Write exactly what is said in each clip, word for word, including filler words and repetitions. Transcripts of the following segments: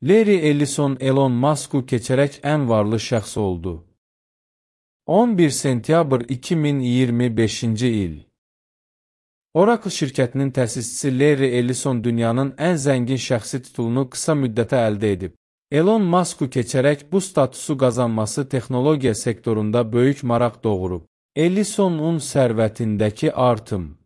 Larry Ellison Elon Musk'u keçərək ən varlı şəxs oldu. on bir sentyabr iki min iyirmi beşinci il. Oracle şirkətinin təsisçisi Larry Ellison dünyanın ən zəngin şəxsi titulunu qısa müddətə əldə edib. Elon Musk'u keçərək bu statusu qazanması texnologiya sektorunda böyük maraq doğurub. Ellisonun sərvətindəki artım.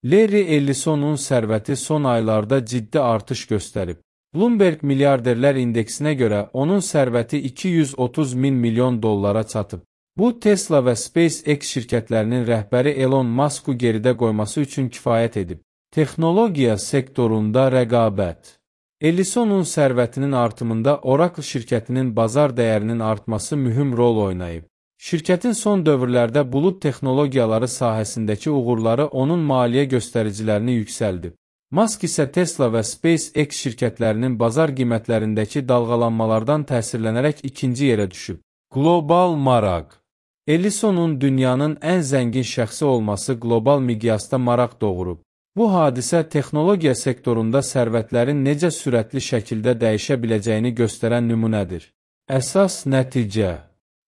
Larry Ellisonun sərvəti son aylarda ciddi artış göstərib. Bloomberg milyarderlər indeksinə görə onun sərvəti iki yüz otuz min milyon dollara çatıb. Bu, Tesla və SpaceX şirkətlərinin rəhbəri Elon Musk'u geridə qoyması üçün kifayət edib. Texnologiya sektorunda rəqabət. Ellisonun sərvətinin artımında Oracle şirkətinin bazar dəyərinin artması mühüm rol oynayıb. Şirkətin son dövrlərdə bulud texnologiyaları sahəsindəki uğurları onun maliyyə göstəricilərini yüksəldib. Musk isə Tesla və SpaceX şirkətlərinin bazar qiymətlərindəki dalğalanmalardan təsirlənərək ikinci yerə düşüb. Qlobal maraq. Ellisonun dünyanın ən zəngin şəxsi olması qlobal miqyasda maraq doğurub. Bu hadisə texnologiya sektorunda sərvətlərin necə sürətli şəkildə dəyişə biləcəyini göstərən nümunədir. Əsas nəticə.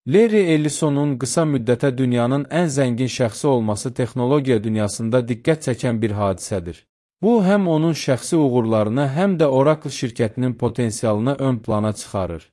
Larry Ellisonun qısa müddətə dünyanın ən zəngin şəxsi olması texnologiya dünyasında diqqət çəkən bir hadisədir. Bu, həm onun şəxsi uğurlarını, həm də Oracle şirkətinin potensialını ön plana çıxarır.